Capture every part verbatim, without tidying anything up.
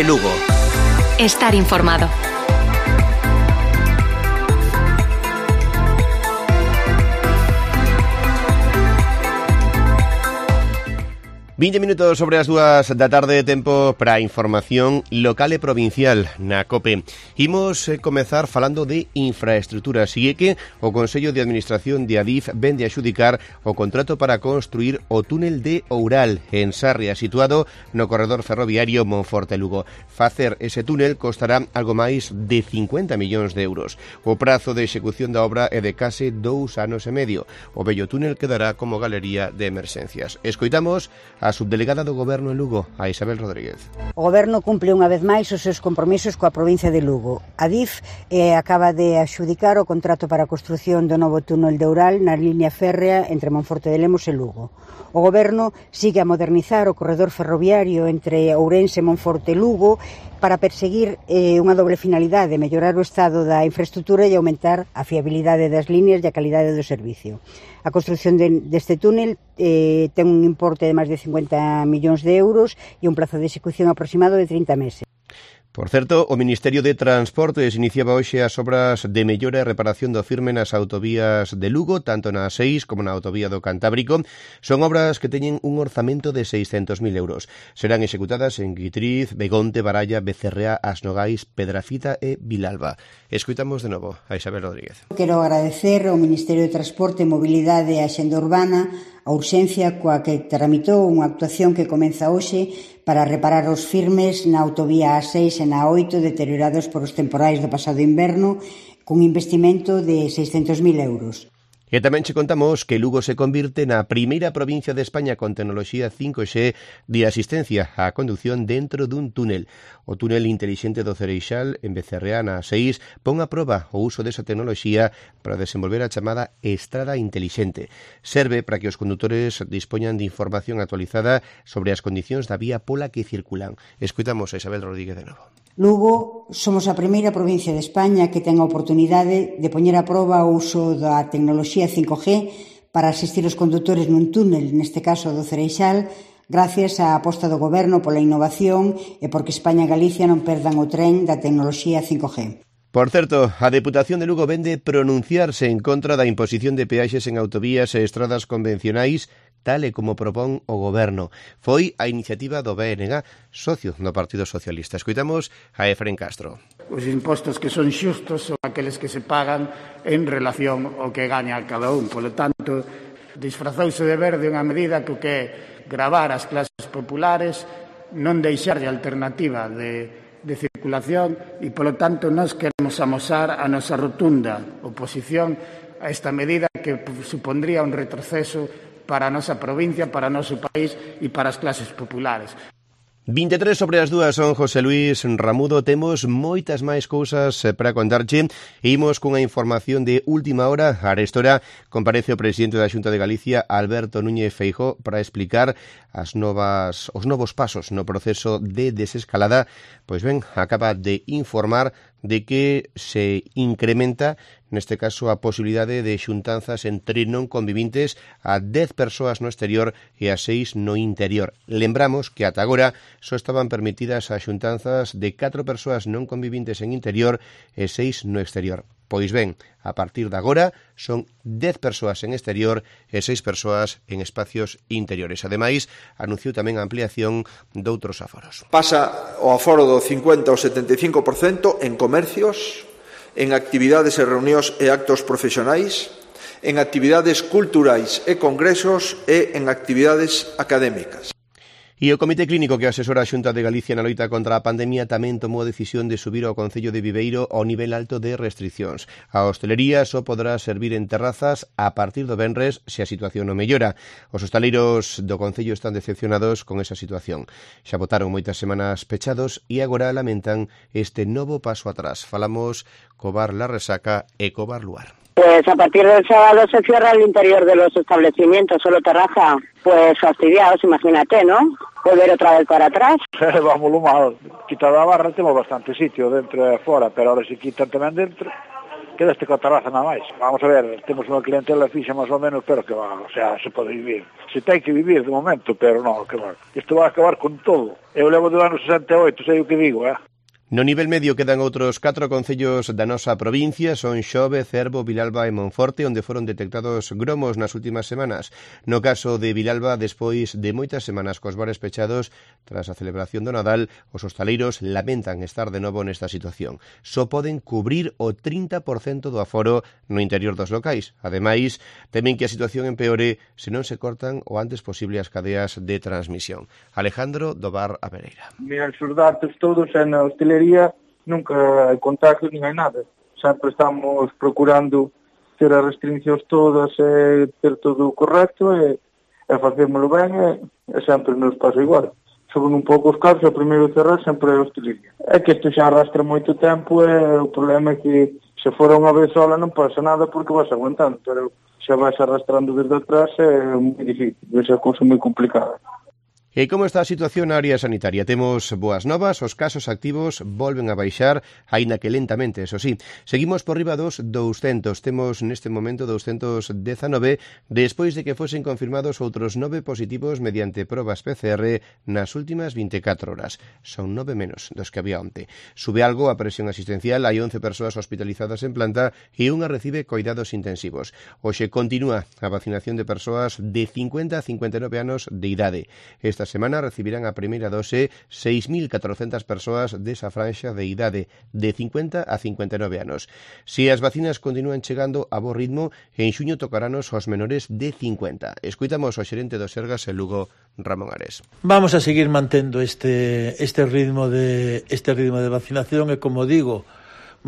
Lugo. Estar informado. veinte minutos sobre as dúas da tarde, tempo para a información local e provincial na COPE. Imos eh, comezar falando de infraestructuras e é que o Consello de Administración de Adif vende a xudicar o contrato para construir o túnel de Oural en Sarria, situado no corredor ferroviario Monforte-Lugo. Facer ese túnel costará algo máis de cincuenta millóns de euros. O prazo de execución da obra é de case dous anos e medio. O vello túnel quedará como galería de emerxencias. Escoitamos a subdelegada do Goberno en Lugo, a Isabel Rodríguez. O Goberno cumple unha vez máis os seus compromisos coa provincia de Lugo. Adif eh, acaba de axudicar o contrato para a construción do novo túnel de Oural na línea férrea entre Monforte de Lemos e Lugo. O Goberno sigue a modernizar o corredor ferroviario entre Ourense, Monforte e Lugo para perseguir eh, unha doble finalidade, mellorar o estado da infraestructura e aumentar a fiabilidade das líneas e a calidade do servicio. A construción de, deste túnel eh, ten un importe de máis de cincuenta millóns de euros e un prazo de execución aproximado de trinta meses. Por certo, o Ministerio de Transportes iniciaba hoxe as obras de mellora e reparación do firme nas autovías de Lugo, tanto na A seis como na autovía do Cantábrico. Son obras que teñen un orzamento de seiscentos mil euros. Serán executadas en Guitriz, Begonte, Baralla, Becerrea, As Nogais, Pedrafita e Vilalba. Escoitamos de novo a Isabel Rodríguez. Quero agradecer ao Ministerio de Transporte, Mobilidade e Axenda Urbana a urxencia coa que tramitou unha actuación que comeza hoxe para reparar os firmes na autovía A seis e na A oito deteriorados por os temporais do pasado inverno cun investimento de seiscentos mil euros. E tamén che contamos que Lugo se convirte na primeira provincia de España con tecnoloxía cinco G de asistencia á conducción dentro dun túnel. O túnel intelixente do Cereixal en Becerrea na A seis pon a proba o uso desa tecnoloxía para desenvolver a chamada estrada intelixente. Serve para que os condutores dispoñan de información actualizada sobre as condicións da vía pola que circulan. Escoitamos a Isabel Rodríguez de novo. Lugo somos a primeira provincia de España que ten a oportunidade de poñer a proba o uso da tecnoloxía cinco G para asistir os condutores nun túnel, neste caso do Cereixal, gracias á aposta do Goberno pola innovación e porque España e Galicia non perdan o tren da tecnoloxía cinco G. Por certo, a Deputación de Lugo vende pronunciarse en contra da imposición de peaxes en autovías e estradas convencionais, tal e como propón o Goberno. Foi a iniciativa do B N G, socio do Partido Socialista. Escoitamos a Efrén Castro. Os impostos que son xustos son aqueles que se pagan en relación ao que gaña cada un. Polo tanto, disfrazouse de verde unha medida que o que gravar as clases populares, non deixar de alternativa de, de circulación e, polo tanto, nós queremos amosar a nosa rotunda oposición a esta medida que supondría un retroceso para a nosa provincia, para o noso país e para as clases populares. vinte e tres sobre as dúas, son José Luis Ramudo. Temos moitas máis cousas para contarche. Imos cunha información de última hora. A arestora comparece o presidente da Xunta de Galicia, Alberto Núñez Feijóo, para explicar as novas, os novos pasos no proceso de desescalada. Pois ben, acaba de informar de que se incrementa, neste caso, a posibilidade de xuntanzas entre non convivintes a dez persoas no exterior e a seis no interior. Lembramos que ata agora só estaban permitidas as xuntanzas de catro persoas non convivintes en interior e seis no exterior. Pois ben, a partir de agora son dez persoas en exterior e seis persoas en espacios interiores. Ademais, anunciou tamén a ampliación doutros aforos. Pasa o aforo do cincuenta ao setenta e cinco por cento en comercios, en actividades e reunións e actos profesionais, en actividades culturais e congresos e en actividades académicas. E o Comité Clínico que asesora a Xunta de Galicia na loita contra a pandemia tamén tomou a decisión de subir ao Concello de Viveiro ao nivel alto de restriccións. A hostelería só podrá servir en terrazas a partir do venres se a situación non mellora. Os hostaleiros do Concello están decepcionados con esa situación. Xa botaron moitas semanas pechados e agora lamentan este novo paso atrás. Falamos co Bar La Resaca e co Bar Luar. Pues a partir del sábado se cierra el interior de los establecimientos, solo terraza. Pues fastidiados, imagínate, ¿no? Volver otra vez para atrás. Vámonos mal. Quitada a barra temos bastante sitio dentro e fora, pero ahora se quitan tamén dentro, quedaste coa terraza nada máis. Vamos a ver, temos unha clientela fixa máis ou menos, pero que va, o sea, se pode vivir. Se ten que vivir de momento, pero non, que va. Isto vai acabar con todo. Eu levo do ano sesenta e oito, sei o que digo, eh? No nivel medio quedan outros catro concellos da nosa provincia, son Xove, Cervo, Vilalba e Monforte, onde foron detectados gromos nas últimas semanas. No caso de Vilalba, despois de moitas semanas cos bares pechados, tras a celebración do Nadal, os hostaleiros lamentan estar de novo nesta situación. Só poden cubrir o trinta por cento do aforo no interior dos locais. Ademais, temen que a situación empeore se non se cortan o antes posible as cadeas de transmisión. Alejandro do Bar A Pereira. Mira, os datos todos en a hostelería nunca hai contacto nin hai nada. Sempre estamos procurando ter as restriccións todas e ter todo correcto e, e facémoslo ben e, e sempre nos pasa igual. Sobre un pouco os casos, o primeiro cerrar sempre é a hostelería. É que isto xa arrastra moito tempo e o problema é que se fora unha vez sola non pasa nada porque vas aguantando, pero xa vas arrastrando desde atrás é moi difícil, é a cousa moi complicada. E como está a situación na área sanitaria? Temos boas novas, os casos activos volven a baixar, aínda que lentamente, eso sí. Seguimos por riba dos douscentos, temos neste momento douscentos dezanove, despois de que fosen confirmados outros nove positivos mediante probas P C R nas últimas vinte e catro horas. Son nove menos dos que había onte. Sube algo a presión asistencial, hai once persoas hospitalizadas en planta e unha recibe coidados intensivos. Hoxe continúa a vacinación de persoas de cincuenta a cincuenta e nove anos de idade. Esta semana recibirán a primeira dose seis mil catrocentas persoas desa franxa de idade de cincuenta a cincuenta e nove anos. Se as vacinas continúan chegando a bo ritmo, en xuño tocaranos aos menores de cincuenta. Escuitamos o xerente do Sergas en Lugo, Ramón Ares. Vamos a seguir mantendo este este ritmo de este ritmo de vacinación e, como digo,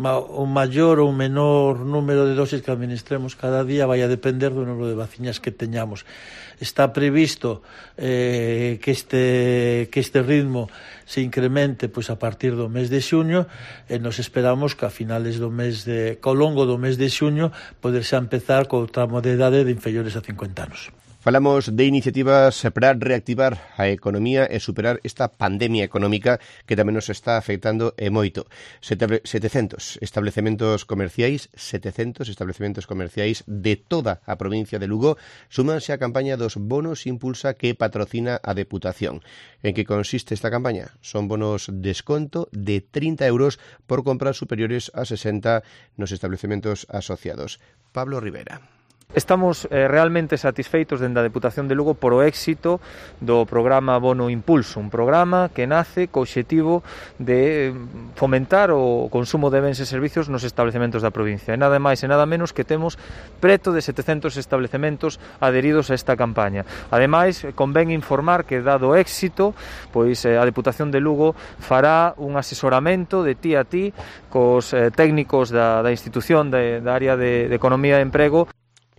o maior ou menor número de dosis que administremos cada día vai a depender do número de vacinas que teñamos. Está previsto eh, que este que este ritmo se incremente pois a partir do mes de xuño e nos esperamos que a finales do mes de ao longo do mes de xuño poderse empezar co tramo de idade de inferiores a cincuenta anos. Falamos de iniciativas para reactivar a economía e superar esta pandemia económica que tamén nos está afectando e moito. setecentos establecementos comerciais, setecentos establecementos comerciais de toda a provincia de Lugo súmanse á campaña dos bonos Impulsa que patrocina a Deputación. En que consiste esta campaña? Son bonos desconto de trinta euros por compras superiores a sesenta nos establecementos asociados. Pablo Rivera. Estamos eh, realmente satisfeitos dende a Deputación de Lugo por o éxito do programa Bono Impulso, un programa que nace co obxectivo de fomentar o consumo de bens e servicios nos establecementos da provincia. E nada máis e nada menos que temos preto de setecentos establecementos adheridos a esta campaña. Ademais, convén informar que, dado o éxito, pois eh, a Deputación de Lugo fará un asesoramento de ti a ti cos eh, técnicos da, da institución de, da área de, de Economía e Emprego.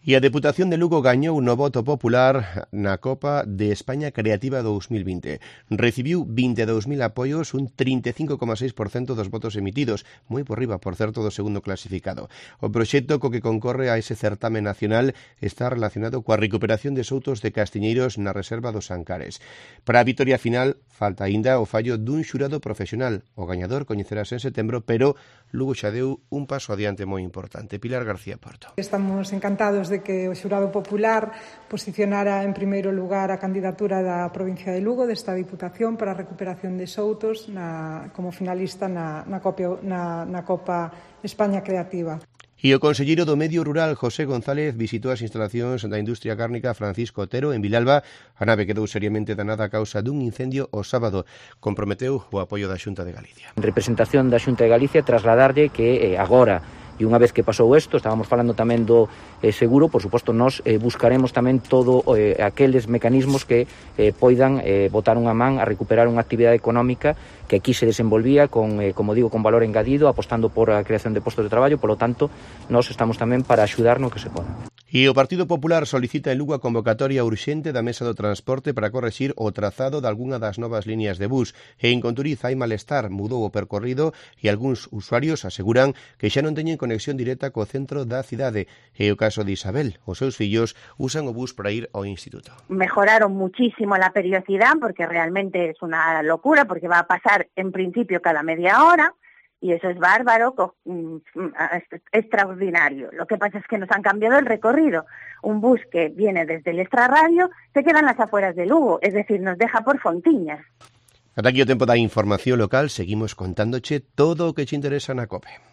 E a Deputación de Lugo gañou no voto popular na Copa de España Creativa dous mil vinte. Recibiu vinte e dous mil apoios, un trinta e cinco coma seis por cento dos votos emitidos, moi por riba, por certo, do segundo clasificado. O proxecto co que concorre a ese certame nacional está relacionado coa recuperación de soutos de castiñeiros na reserva dos Ancares. Para a vitoria final, falta aínda o fallo dun xurado profesional. O gañador coñecerase en setembro, pero Lugo xa deu un paso adiante moi importante. Pilar García Porto. Estamos encantados de que o xurado popular posicionara en primeiro lugar a candidatura da provincia de Lugo desta Diputación para a recuperación de soutos na, como finalista na, na, copia, na, na Copa España Creativa. E o conselleiro do Medio Rural, José González, visitou as instalacións da industria cárnica Francisco Otero en Vilalba. A nave quedou seriamente danada a causa dun incendio o sábado. Comprometeu o apoio da Xunta de Galicia. En representación da Xunta de Galicia, trasladarlle que eh, agora e unha vez que pasou isto, estábamos falando tamén do eh, seguro, por suposto, nós eh, buscaremos tamén todo eh, aqueles mecanismos que eh, poidan eh, botar unha man a recuperar unha actividade económica que aquí se desenvolvía con, eh, como digo, con valor engadido, apostando por a creación de postos de traballo, polo tanto, nós estamos tamén para axudar no que se poda. E o Partido Popular solicita en Lugo a convocatoria urxente da Mesa do Transporte para correxir o trazado de algunha das novas líneas de bus. E en Conturiz hai malestar, mudou o percorrido e algúns usuarios aseguran que xa non teñen conexión directa co centro da cidade. E o caso de Isabel, os seus fillos usan o bus para ir ao instituto. Mejoraron muchísimo la periodicidad porque realmente es una locura porque va a pasar en principio cada media hora Y eso es bárbaro, extraordinario. Lo que pasa es que nos han cambiado el recorrido. Un bus que viene desde el extrarradio se queda en las afueras de Lugo, es decir, nos deja por Fontiñas. Ata aquí o tempo da información local, seguimos contándoche todo o que te interesa na COPE.